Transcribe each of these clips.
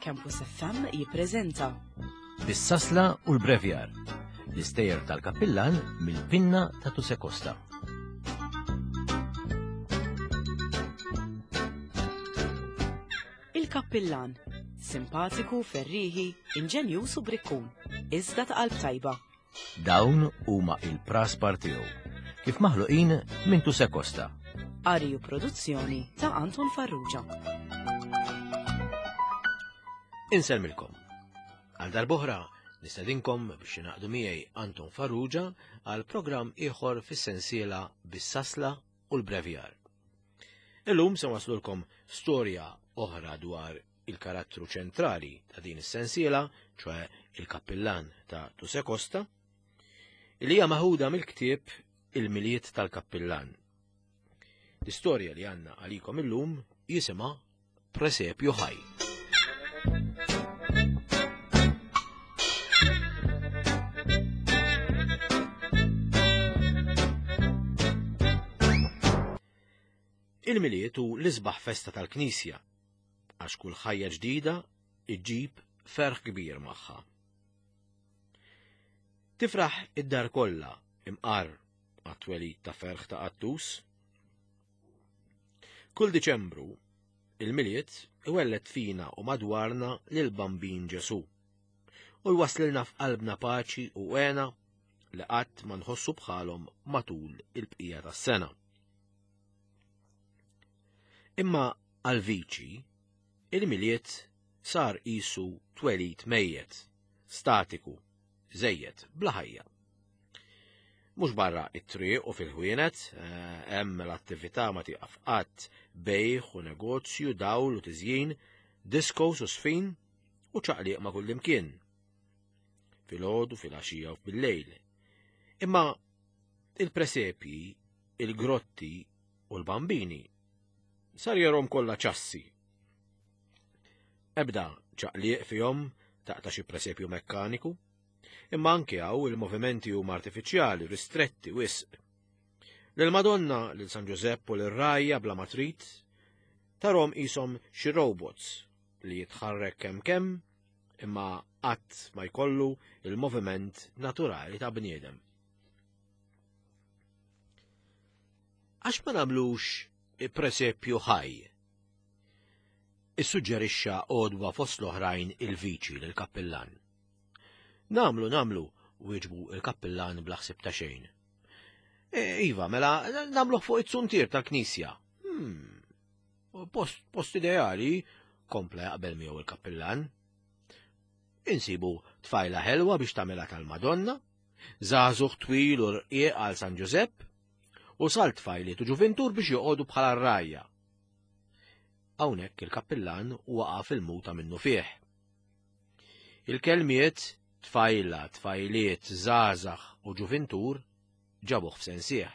Campus FM jippreżenta Bis-sasla u l-brevjar, l-istejjer tal-kappillan mill-pinna ta' Tuse Costa. Il-Kappillan, simpatiku, ferrieħi, inġenjuż u brikkun, iżda ta' qalb tajba. Dawn huma il-praspar tiegħu, kif maħluqin minn Tuse Costa. Qari u produzzjoni ta' Anton Farrugia. Insellmilkom. Għal darb'oħra nistedinkom biex ingħaqdu miegħi Anton Farrugia għal programm ieħor fis-sensiela bis-sasla u l-brevjar. Illum se waslulkom storja oħra dwar il-karattru ċentrali ta' din is-sensiela, ċoe il-kappillan ta' Tuse Costa, li hija maħuda mill-ktieb Il-Milied tal-Kappillan. L-istorja li għandna għalikom illum jisimha Presepju Ħaj. Il-Milied hu l-isbaħ festa tal-Knisja, għax kull ħajja ġdida iġġib ferħ kbir magħha. Tifraħ id-dar kollha imqar għat-twelid ta' ferħ ta' qattus. Kull Diċembru, il-Milied iwelled fina u madwarna lil Bambin Ġesu u jwaslilna f'qalbna paċi u għena li qatt ma nħossu bħalhom matul il-bqija tas-sena. Imma għal viċi, il-Milied sar qisu twelid mejjet, statiku, żejjed, bla ħajja. Mhux barra it-triq u fil-ħwienet, eh, hemm l-attività ma tieqaf qatt, bejħ u negozju, dawl u tiżjin, diskos u sfin u ċaqliq ma' kullimkien. Filgħodu, filgħaxija u bil-lejl. Imma il-presepji, il-grotti u l-bambini sar jarhom kollha ċassi. Ebda ċaqliq fihom taqta' xi presepju mekkaniku, imma anke hawn il-movimenti huma artifiċjali, ristretti wisq. Lil Madonna, lil San Ġużepp u lil rajja bla ma trid, tarhom qishom xi robots li jitħarrek kemm kemm imma qatt ma jkollu il-moviment naturali ta' bniedem. Għax ma nagħmlux presepju ħaj? Issuġġerixxa għodwa fost l-oħrajn il-viċi lill-kappillan. Namlu, namlu, wieġbu il-kappillan bla ħsieb ta' xejn. E, iva, mela, namluh fuq it-suntier tal-knisja. Hmm, post, post ideali, kompla jaqbel miegħu il-kappillan. Insibu tfajla ħelwa biex tagħmilha tal-Madonna, żagħżugħ twil u rqiq għal San Ġużepp, u sal tfajliet u ġuvintur biex joqogħdu bħala rajja. Hawnhekk il-kappillan waqa' fil-muta minnu fih. Il-kelmiet tfajla, tfajliet, żgħażagħ u ġuvintur ġabuh f'sensih.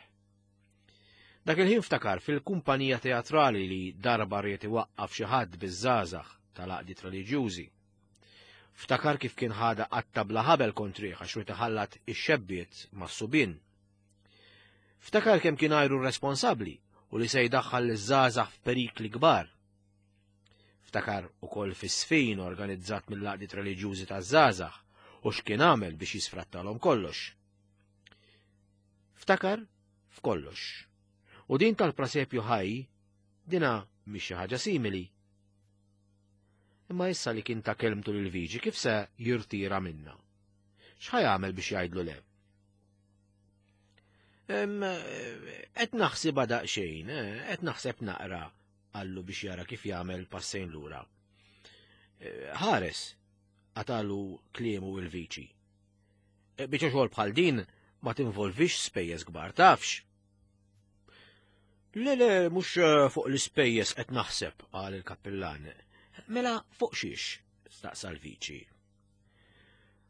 Dak il-ħin ftakar fil-kumpanija teatrali li darba ried iwaqqaf xi ħadd biż-żgħażagħ tal-għaqdiet reliġjużi. Ftakar kif kien ħada qatta bla ħabel kontrih għax ried iħallat ix-xebbiet mas-subien. Ftakar kemm kien għajru responsabbli u li se jdaħħal liż-żgħażagħ f'perikli kbar. Ftakar ukoll fis-sfin organizzat mill-għaqdiet reliġjużi taż-żgħażagħ u x'kien għamel biex jisfrattalhom kollox. Ftakar f'kollox. U din tal-prasepju ħaj dina mhix xi ħaġa simili. Imma issa li kien ta' kelmtu lil Viġi kif se jirtira minna? X'ħa jagħmel biex jgħidlu le? Qed naħsibha daqsxejn, eh, qed naħseb naqra, qallu biex jara kif jagħmel passejn lura. Eh, ħares, qatalu kliemu il-viċi. Eh, biċċa xogħol bħal din ma tinvolvix spejjeż kbar tafx. Le, le, mhux eh, fuq l-ispejjeż qed naħseb, qal il-kappillan. Mela fuq xiex? staqsa l-viċi.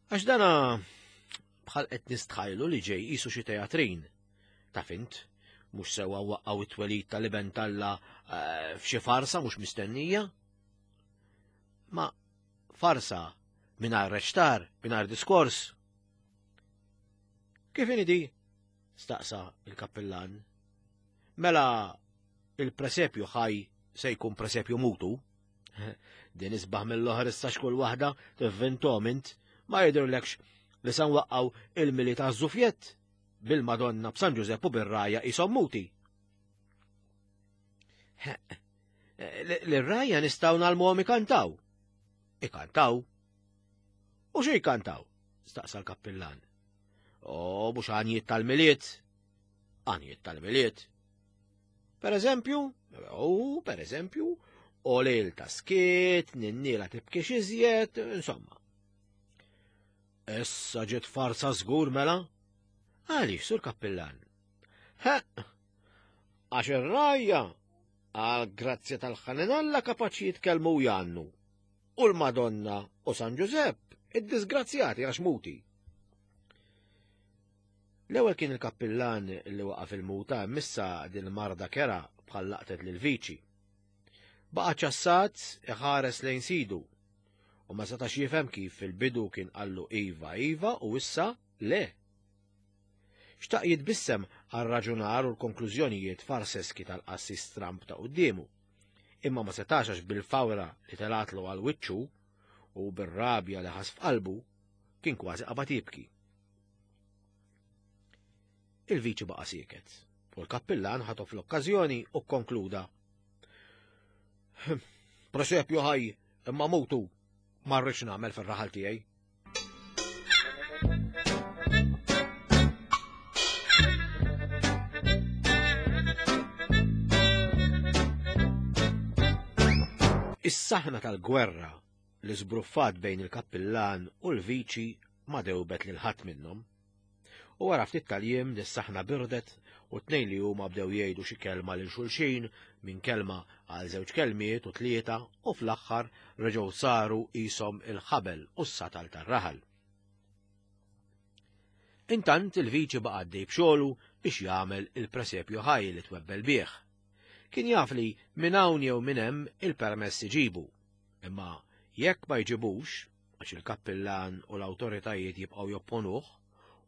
Għax dana bħal qed nistħajlu li ġej qisu xi teatrin. Taf int, mhux sewwa waqqgħu it-twelid tal-iben talla eh, f'xi farsa mhux mistennija. Ma farsa mingħajr reċtar, mingħajr diskors. Kif inhi staqsa il-kappillan. Mela il-presepju ħaj se jkun presepju mutu. Din isbaħ mill-oħra issa xkull waħda tivvintom int, ma jidhirlekx li sa nwaqqgħu il-mili ta' żufjett bil-Madonna b'San Ġużepp u bir-rajja qishom muti. L-rajja nistgħu nagħlmuhom ikantaw. Ikantaw? U xi jkantaw? staqsa l-kappillan. O, mhux għanjiet tal-miliet. Għanjiet tal-miliet. Per eżempju, u per eżempju, o lejl ta' skiet, ninnila tibkix iżjed, insomma. Issa ġiet farsa żgur mela? Għaliex, sur kappillan? Ha, għax ir-rajja għal grazzja tal-ħanin Alla kapaċi jitkellmu u jgħannu. U l-Madonna u San Ġużepp id-disgrazzjati għax muti. L-ewwel kien il-kappillan li waqa' fil-muta missa din marda kera bħal laqtet lil viċi. Baqa' ċassat iħares lejn sidu u ma setax jifhem kif fil-bidu kien qallu iva iva u issa le. Xtaq jitbissem għar-raġunar u l-konklużjonijiet farseski tal-qassis Trump ta' quddiemu. Imma ma setax għax bil-fawra li telatlu għal wiċċu u bir-rabja li ħas f'qalbu kien kważi qabad jibki. Il-viċi baqa' sieket u l-kappillan ħatof l-okkażjoni u kkonkluda. Presepju ħaj, imma mutu, ma rridx nagħmel fir-raħal tiegħi. Is-saħna tal-gwerra li żbruffat bejn il-kappillan u l-viċi ma dewbet lil ħadd minnhom. U wara ftit tal-jiem dis-saħna birdet u tnejn li huma bdew jgħidu xi kelma lil xulxin minn kelma għal żewġ kelmiet u tlieta u fl-aħħar reġgħu saru qishom il-ħabel u s-satal tar-raħal. Intant il-viċi baqa' għaddej b'xogħlu biex jagħmel il-presepju ħaj li twebbel bih. Kien jaf li minn hawn jew minn hemm il-permess iġibu. Imma jekk ma jġibux, għax il-kappillan u l-awtoritajiet jibqgħu jopponuh,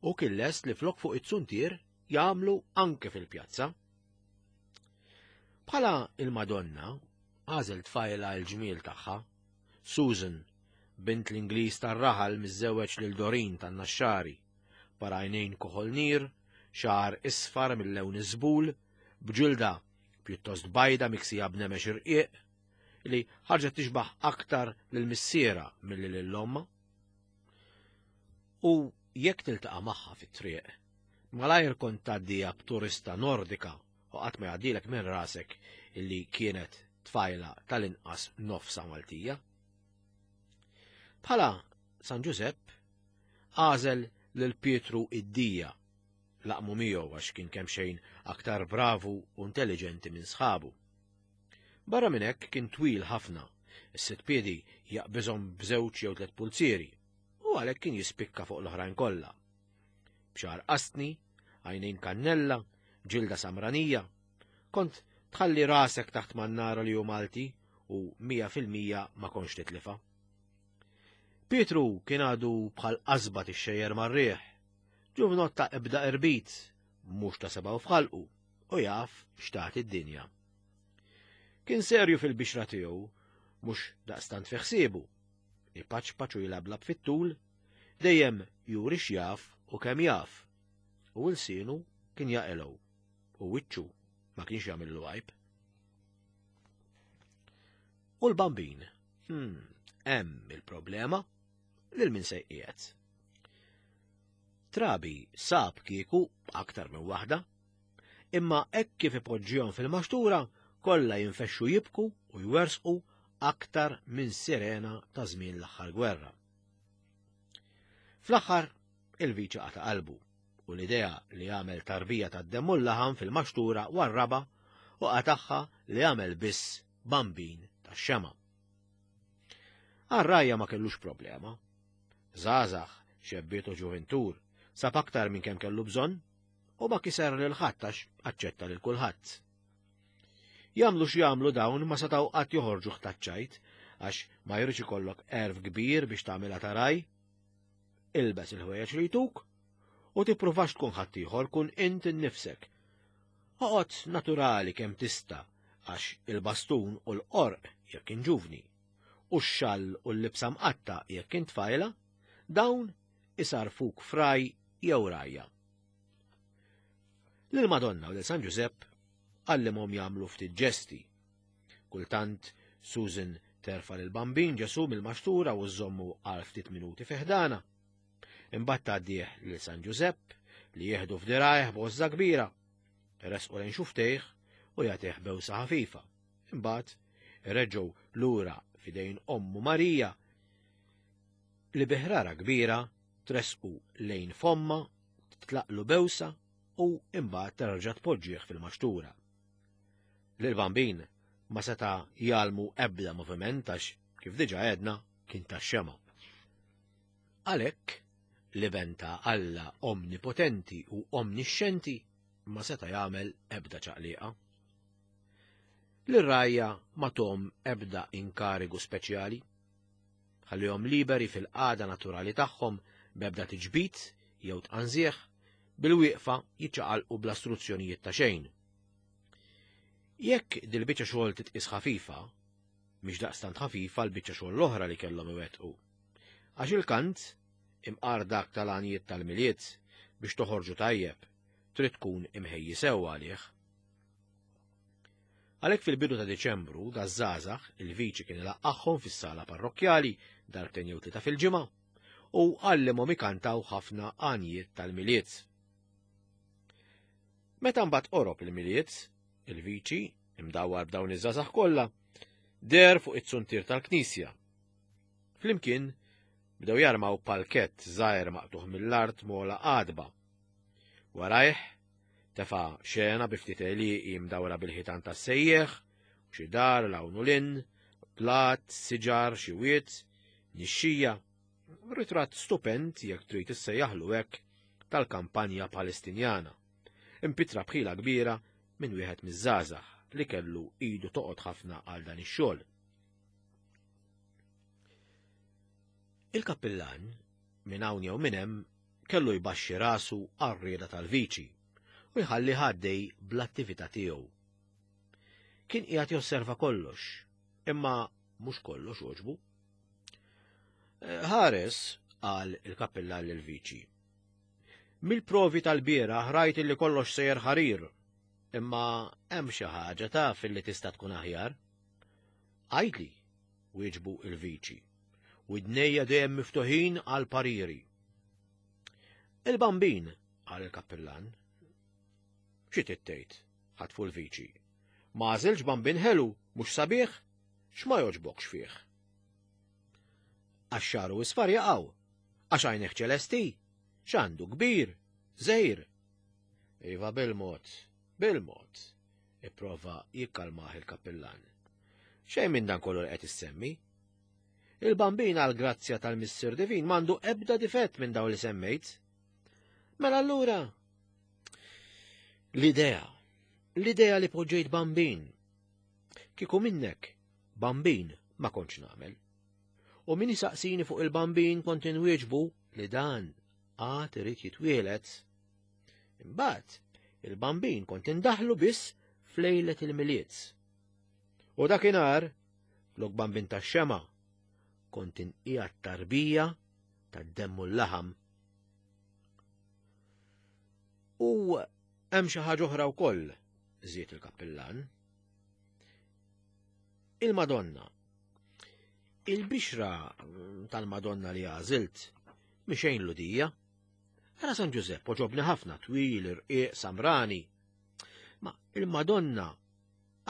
hu kien lest li flok fuq it-suntier jagħmlu anke fil-pjazza. Bħala il-Madonna, għażel tfajla l-ġmiel tagħha, Susan, bint l-Ingliż tar-raħal miżżewweġ lil Dorin tan-Naxxari, parajnejn kuħol nir, xagħar isfar mill-lewn iż-żbul, b'ġilda pjuttost bajda miksija b'nemex irqiq, li ħarġet tixbaħ aktar lil missierha milli lil ommha. U jekk tiltaqa' magħha fit-triq, malajr kont tgħaddija b'turista Nordika u qatt ma jgħaddilek minn rasek illi kienet tfajla tal-inqas nofsa Maltija. Bħala San Ġużepp għażel lil Pietru id-dija laqmu miegħu għax kien kemm xejn aktar bravu u intelligenti minn sħabu. Barra minn hekk kien twil ħafna, is-sitt piedi jaqbiżhom b'żewġ jew tliet pulzieri, u għalhekk kien jispikka fuq l-oħrajn kollha. B'xagħar qastni, għajnejn kannella, ġilda samranija. Kont tħalli rasek taħt mannara li hu Malti u 100% ma kontx titlifa. Pietru kien għadu bħal qasba tixxejjer mar-riħ. Ġuvnott ta' ebda irbit, mhux ta' sebgħu f'ħalqu, u jaf x'tagħti d-dinja. Kien serju fil-bixra tiegħu, mhux daqstant fi ħsiebu. Ipaċpaċ u jilablab fit-tul, dejjem juri x'jaf u kemm jaf. U lsienu kien jaqilgħu, u wiċċu ma kienx jagħmillu għajb. U l-bambin, hmm, hemm il-problema lil min se jqiegħed. Trabi sab kieku aktar minn waħda, imma hekk kif ipoġġihom fil-maxtura kollha jinfexxu jibku u jwersqu aktar minn sirena ta' żmien l-aħħar gwerra. Fl-aħħar il-viċi qata' qalbu u l-idea li jagħmel tarbija tad-demm u l-laħam fil-maxtura warraba u qatagħha li jagħmel biss bambin tax-xema. Għar-rajja ma kellux problema. Żgħażagħ, xebbiet u ġuvintur, sab aktar minn kemm kellu bżonn u ma kiser lil ħadd għax aċċetta lil kulħadd. Jagħmlu x'jagħmlu dawn ma setgħu qatt joħorġu ħtaċċajt għax ma jridx ikollok erf kbir biex tagħmilha taraj. Ilbes il-ħwejjeġ li jtuk u tippruvax tkun ħaddieħor kun int innifsek. Oqgħod naturali kemm tista' għax il-bastun u l-qorq jekk inġuvni. u x-xall u l-libsa mqatta jekk int tfajla, dawn isarfuk fraj jew rajja. Lil Madonna u lil San Ġużepp għallimhom jagħmlu ftit ġesti. Kultant Susan terfa' lil Bambin Ġesu mill-maxtura u żżommu għal ftit minuti fi ħdana. Imbagħad tgħaddih lil San Ġużepp li jieħdu f'dirajh b'għożża kbira. Resqu lejn xuftejh u jagħtih bewsa ħafifa. Imbagħad ireġgħu lura f'idejn ommu Marija li bi ħrara kbira tresqu lejn fomma, titlaqlu bewsa u imbagħad terġa' tpoġġih fil-maxtura. Lil-bambin ma seta' jgħallmu ebda moviment għax kif diġà għedna kien tax-xema. Għalhekk, l-Iben ta' Alla omnipotenti u omnixxenti ma seta' jagħmel ebda ċaqliqa. Lir-rgħajja ma thom ebda inkarigu speċjali. Ħallihom liberi fil-qagħda naturali tagħhom b'ebda tiġbid jew tqanżieħ, bil-wieqfa jiċċaqalqu bla struzzjonijiet ta' xejn. Jekk dil-biċċa xogħol titqis ħafifa, mhix daqstant ħafifa l-biċċa xogħol l-oħra li kellhom iwettqu. Għax il-kant, imqar dak tal-għanjiet tal-Milied, biex toħorġu tajjeb, trid tkun imħejji sewwa għalih. Għalhekk fil-bidu ta' Diċembru, daż-żgħażagħ, il-viċi kien ilaqqagħhom fis-sala parrokkjali darbtejn jew tlieta fil-ġimgħa u għallimhom ikantaw ħafna għanjiet tal-Milied. Meta mbagħad qorob il-Milied, il-viċi, imdawwar b'dawn iż-żgħażagħ kollha, deher fuq it-suntier tal-knisja. Flimkien bdew jarmaw palkett żgħir maqtugħ mill-art mola għadba. Warajh Tefa' xena bi ftit għelieqi mdawra bil-ħitan tas-sejjieħ, u xi dar 'l hawn u 'l hinn, blat, siġar, xi wied, nixxija. Ritratt stupend, jekk trid issejjaħlu hekk, tal-kampanja Palestinjana. Impittra b'ħila kbira minn wieħed miż-żgħażagħ li kellu idu toqgħod ħafna għal dan ix-xogħol. Il-kappillan, minn hawn jew minn hemm, kellu jbaxxi rasu għar-rieda tal-viċi u jħallih għaddej bl-attività tiegħu. Kien qiegħed josserva kollox, imma mhux kollox għoġbu. Eh, ħares, qal il-kappillan lill-viċi. Mill-provi tal-bieraħ rajt illi kollox sejjer ħarir, imma hemm xi ħaġa taf illi tista' tkun aħjar. Għidli, wieġbu il-viċi. Widnejja dejjem miftuħin għal pariri. Il-bambin, qal il-kappillan. Xi tgħid? ħatfu l-viċi. Ma għażilx bambin ħelu, mhux sabiħ? X'ma jogħġbokx fih? Għax xagħru isfar jaqaw, għax għajnejh ċelesti, x'għandu kbir, żgħir. Iva bil-mod, bil-mod, ipprova jikkalmah il-kappillan. Xejn minn dan kollu li qed issemmi. Il-bambin għal grazzja tal-Missier Divin m'għandu ebda difett minn dawn li semmejt. Mela allura l-idea, l-idea li poġġejt bambin. Kieku minnek bambin ma kontx nagħmel. U min isaqsini fuq il-bambin kont inwieġbu li dan għad irid jitwielet. Imbagħad il-bambin kont indaħlu biss f'lejlet il-Milied. U dakinhar Flok bambin tax-xema, kont inqiegħed tarbija tad-demm u l-laħam. U hemm xi ħaġa oħra wkoll, żied il-kappillan. Il-Madonna. Il-bixra tal-Madonna li għażilt mixejn ludija. Ara San Ġużepp oġobni ħafna twil, irqiq, samrani. Ma il-Madonna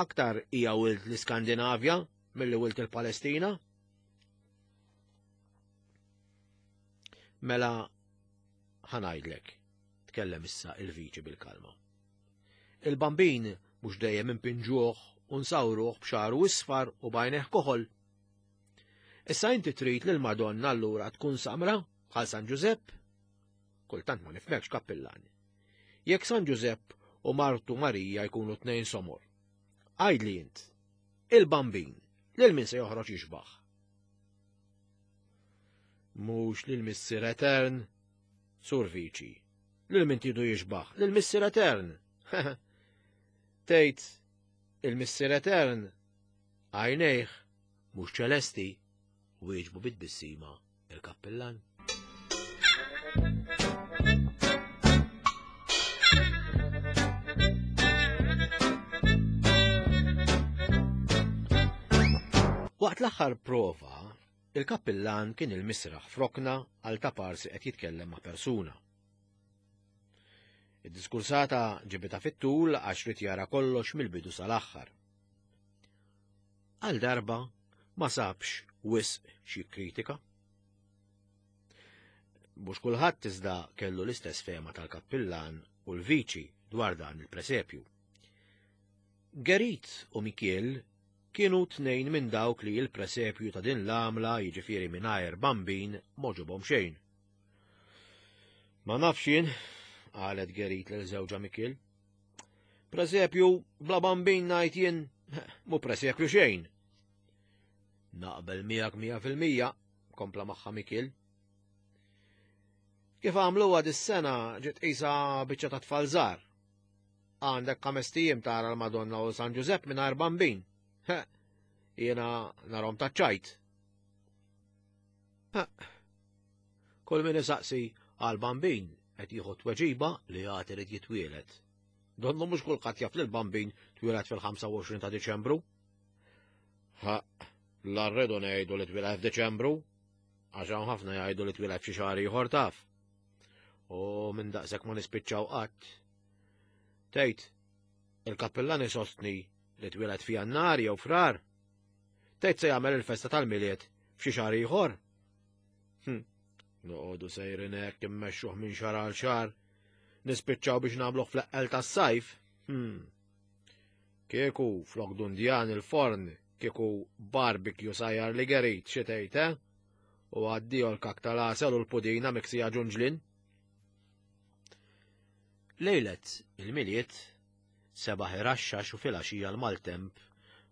Aktar hija wild l-Iskandinavja milli wild il-Palestina. Mela ħanajdlek, tkellem issa il-viċi bil-kalma. Il-bambin mhux dejjem impinġuh u nsawruh b'xaru isfar u bajneħ koħol. Issa inti trid lil Madonna allura tkun samra bħal San Ġużepp? Kultant ma nifhmekx kappillan. Jekk San Ġużepp u martu Marija jkunu tnejn somor. Għidli int, il-bambin, lil min se joħroġ jixbaħ? Mhux lil Missier Etern, Sur Viċi. Lil min tidu jixbaħ? Lil Missier Etern. Tgħid il-Missier Etern għajnejh mhux ċelesti. Wieġbu bit-tbissima il-kappillan. Waqt l-aħħar prova, il-kappillan kien il-misraħ frokna għal taparsi qed jitkellem ma' persuna. Id-diskursata ġibita fit-tul għax rid jara kollox mill-bidu sal-aħħar. Għal darba ma sabx wisq xi kritika. Mhux kulħadd iżda kellu l-istess fehma tal-kappillan u l-viċi dwar dan il-presepju. Gerit u Mikiel kienu tnejn minn dawk li l-presepju ta' din l-għamla jiġifieri mingħajr bambin m'għoġobhom xejn. Ma nafx jien, qalet Gerit lil żewġha Mikiel. Presepju bla bambin ngħid jien mhu presepju xejn. Naqbel miegħek 100%, kompla magħha Mikiel. Kif għamluha dis-sena ġiet qisha biċċa ta' tfal żgħar. Għandek ħames tijiem tara l-Madonna u San Ġużepp mingħajr bambin. Jiena narhom taċ-ċajt. Kull min isaqsi għal bambin qed jieħu tweġiba li għad irid jitwieled. Donnu mhux kulħadd jaf li l-bambin twieled fil-25 ta' Diċembru. Ha, la rridu ngħidu li twieled f'Diċembru, għax hawn ħafna jgħidu li twieled f'xi xahar ieħor taf. U minn daqshekk ma nispiċċaw qatt. Tgħid, il-kappillan isostni li twieled f'Jannar jew Frar. Tgħid se jagħmel il-festa tal-Milied f'xi xahar ieħor? Hm, noqogħdu sejrin hekk immexxuh minn xahar għal xahar. Nispiċċaw biex nagħmluh fl-eqqel tas-sajf. Hm. Kieku flok dundjan il-forn, kieku barbecue sajjar li gerit xi tgħid, eh? U għaddio l-kak tal-għasel u l-pudina miksija ġunġlin. Lejlet il-Milied sebaħ iraxxax u filgħaxija l-maltemp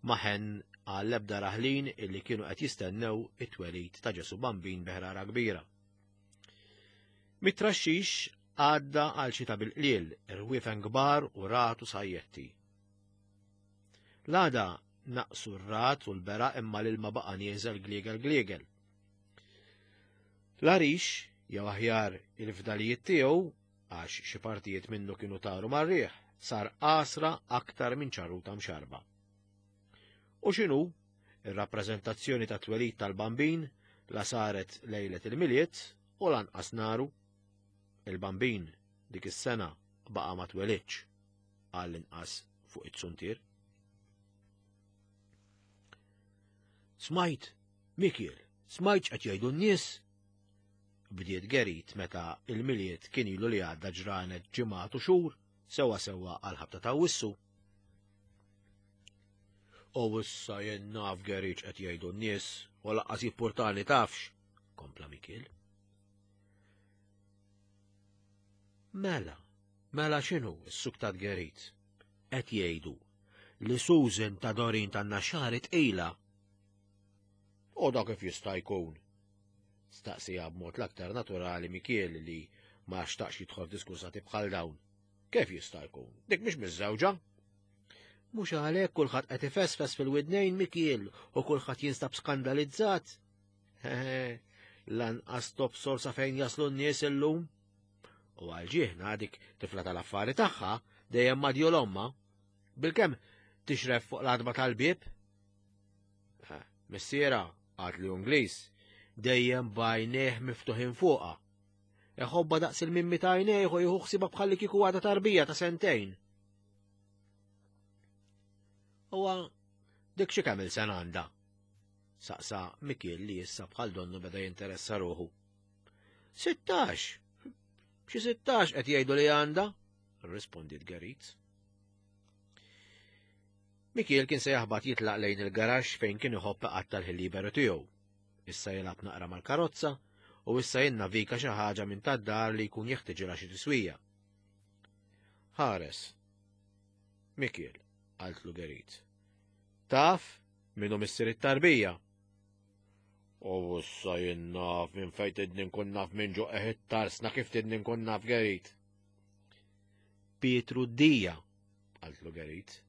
ma ħenn għall-ebda raħlin illi kienu qed jistennew it-twelid ta' Ġesu Bambin bi ħrara kbira. Mit-traxxix għadda għal xita bil-qliel, irwiefen kbar u ragħad u sajjetti. L-għada naqsu r-ragħad u l-beraq imma l-ilma baqa' nieżel gliegel gliegel. L-għarix, jew aħjar il-fdalijiet tiegħu, għax xi partijiet minnu kienu taru mar-riħ, sar għasra aktar minn ċarruta mxarrba. U x'inhu, ir-rappreżentazzjoni tat-twelid tal-Bambin la saret lejlet il-Milied u lanqas naru. Il-Bambin dik is-sena baqa' ma twelidx, għall-inqas fuq it-suntier. Smajt, Mikiel, smajt x'qed jgħidu n-nies? Bdiet Gerit meta il-Milied kien ilu li għadda ġranet ġimgħat u xhur sewwa sewwa għall-ħabta ta' Awwissu. U issa jien naf Gerit x'qed jgħidu n-nies u laqqas jippurtani tafx, kompla Mikiel. Mela, mela x'inhu s-suktat Gerit? Qed jgħidu li Susan ta' Dorin tan-Naxxari tqila. U dak kif jista' jkun? Staqsieha b'mod l-aktar naturali Mikiel li ma xtaqx jidħol f'diskursati bħal dawn. Kif jista' jkun? Dik mhix miżżewġa. Mhux għalhekk kulħadd qed ifesfes fil-widnejn Mikiel u kulħadd jinstab skandalizzat. Lanqas tobsor sa fejn jaslu n-nies illum. U għal ġieħna dik tifla tal-affari tagħha dejjem madjol omma. Bilkemm tixref fuq l-għadba tal-bieb. Missiera, għad li Ingliż, dejjem b'għajnejh miftuħin fuqha. Iħobbha daqs il-mimmi ta' għajnejh u jieħu ħsiebha bħalli kieku għadha tarbija ta' sentejn. Huwa dik xi kemm il-sena għandha? Saqsa Mikiel li issa bħal donnu beda jinteressa ruħu. 16! Xi 16 qed jgħidu li għandha? Rrispondiet Geritz. Mikiel kien se jaħbat jitlaq lejn il-garaxx fejn kien iħobb iqatta' l-ħin liberu tiegħu. Issa jilgħab naqra mal-karozza u issa jinnavika xi ħaġa minn tad-dar li jkun jeħtiġilha xi tiswija. Ħares. Mikiel, qaltlu Gerit. Taf min hu missier it-tarbija? U issa jien naf minn fejn tidni nkun naf minn ġo eħ it-tarsna kif tidni nkun naf Gerit. Pietru d-dija, qaltlu Gerit.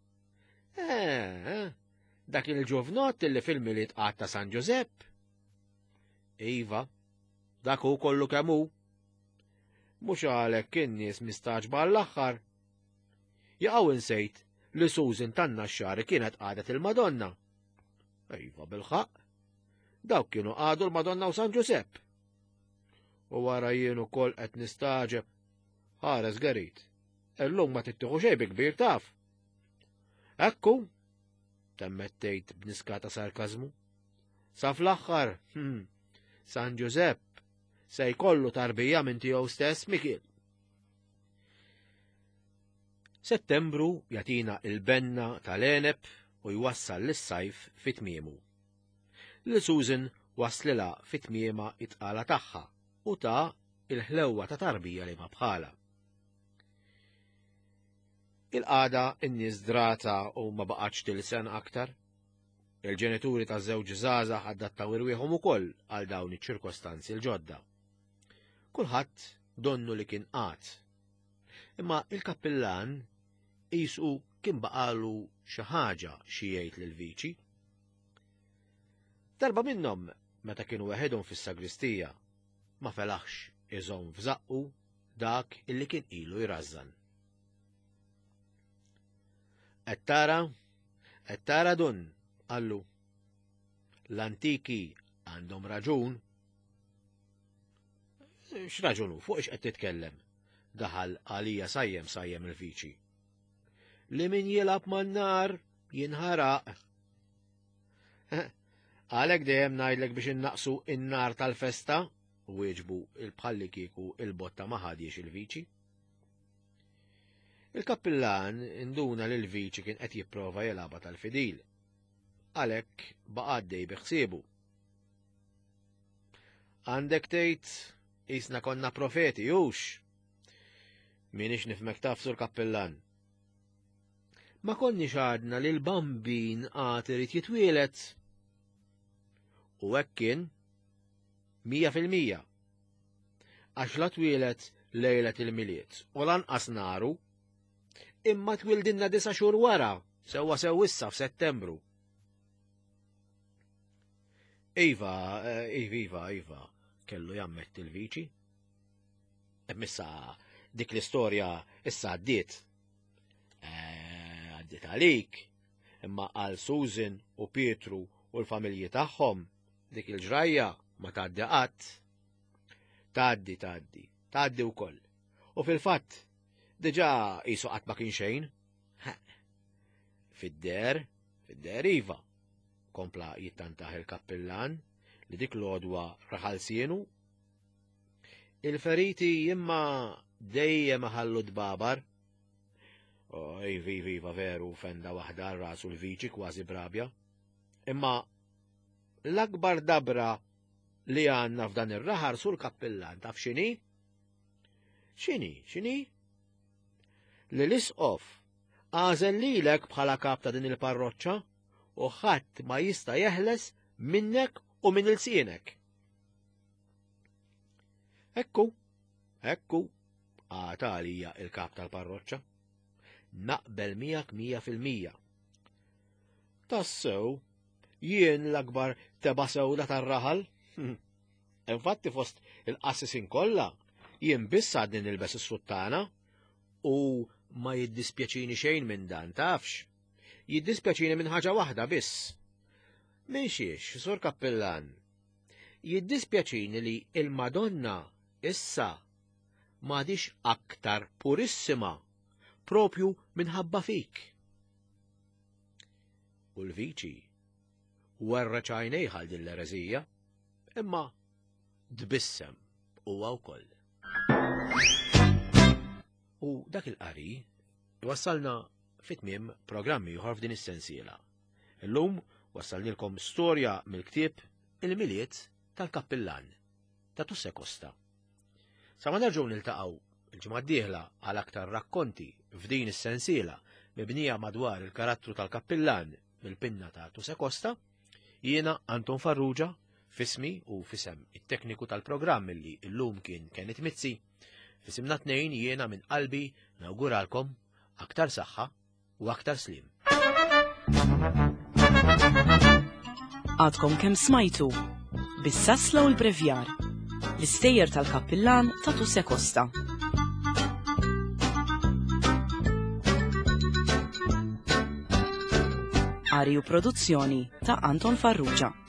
Eh, eh, dak il-ġuvnott li fil-Milied qatt ta' San Ġużepp. Iva, dak hu kollu kemm hu. Mhux għalhekk in-nies mistagħġba għall-aħħar. Jaqgħu insejt li Susan tan-Naxxari kienet qadet il-Madonna. Iva bil-ħaqq. Dawk kienu qagħdu l-Madonna u San Ġusepp. U wara jien ukoll qed nistagħġeb. Ħares Gerit. Illum ma tittieħu xejn bi kbir taf. Ekku, temmet tgħid b'niskata sarkażmu. Sa fl-aħħar, San Ġużepp se jkollu tarbija minn tiegħu stess Mikil. Settembru jagħtina il-benna tal-għeneb u jwassal lis-sajf fi tmiemu. Lil Susan waslilha fi tmiemha it-tqala tagħha u ta' il-ħlewwa ta' tarbija li ma bħala. Il-qagħda n-nies drata u ma baqgħetx tilsen aktar. Il-ġenituri ta' żewġ żgħażagħ adattaw irwieħhom ukoll għal dawn iċ-ċirkostanzi l-ġodda. Kulħadd donnu li kien qagħad. Imma il-kappillan qisu kien baqalu xi ħaġa xi jgħid lill-viċi. Darba minnhom meta kienu weħedhom fis-sagristija ma felaħx iżomm f'żaqqu dak illi kien ilu jrażżan. Qed tara, qed tara dun, qallu. L-antiki għandhom raġun. X'raġunu, fuq ix qed titkellem? Daħal għalija sajjem sajjem il-viċi. Li min jilgħab man-nar jinħaraq. Għalhekk dejjem ngħidlek biex innaqsu in-nar tal-festa, wieġbu il-bħalli kieku il-botta ma ħadiex il-viċi. Il-kappillan induna li l-viċi kien qed jipprova jilgħabha tal-fidil. Għalhekk baqa' għaddej bi ħsiebu. Għandek tgħid qisna konna profeti, hux? Minix nifmek taf sur kappillan. Ma konniex għadna li l-bambin għad irid jitwielet. U hekk kien 100%. Għax la twieled lejlet il-Milied u lanqas naru, imma twildinna disa' xhur wara, sewwa sew issa f'Settembru. Iva, eh, iva, iva, iva, kellu jammetti l-viċi. Issa dik l-istorja issa għaddiet. Eh, għaddiet għalik, imma għal Susan u Pietru u l-familji tagħhom dik il-ġrajja ma tgħaddi qatt. Tgħaddi, tgħaddi, tgħaddi wkoll. U fil-fatt, diġà qisu qatt ma kien xejn. Fid-der, fid-der iva, kompla jittantaħ il-kappillan li dik l-għodwa raħal sienu. Il-feriti imma dejjem ħallu dbabar. Oh, iva, iva, iva, veru, fenda waħda rasu l-viċi kważi brabja. Imma l-akbar dabra li għanna f'dan ir-raħar sur kappillan taf xini? Xini, xini? Li l-isqof għażel lilek bħala kap ta' din il-parroċċa u ħadd ma jista' jeħles minnek u minn ilsienek. Ekku, ekku, għata għalija il-kap tal-parroċċa. Naqbel miegħek 100%. Tassew, jien l-akbar teba sewda tar-raħal. Infatti fost il-qassisin kollha, jien biss għadni nilbes is-suttana u ma jiddispjaċini xejn minn dan, tafx. Jiddispjaċini minn ħaġa waħda biss. Minn xiex, Sur Kappillan? Jiddispjaċini li il-Madonna issa m'għadix aktar purissima propju minħabba fik. U l-viċi werreċ għajnejh għal din l-ereżija, imma tbissem huwa wkoll. U dak il-qari wassalna fit-tmiem programmi ieħor f'din is-sensiela. Illum wassalnilkom storja mill-ktieb Il-Milied tal-Kappillan ta' Tusse Costa. Sa ma nerġgħu niltaqgħu il-ġimgħa d-dieħla għal aktar rakkonti f'din is-sensiela mibnija madwar il-karattru tal-kappillan mill-pinna ta' Tuse Costa, jiena Anton Farrugia, fismi u fisem it-tekniku tal-programm li llum kien Kenneth Mizzi, fisimna tnejn jiena minn qalbi nawguralkom aktar saħħa u aktar sliem. Għadkom kemm smajtu. Bis-sasla u l-brevjar. L-istejjer tal-kappillan ta' Tuse Costa. Qari u produzzjoni ta' Anton Farrugia.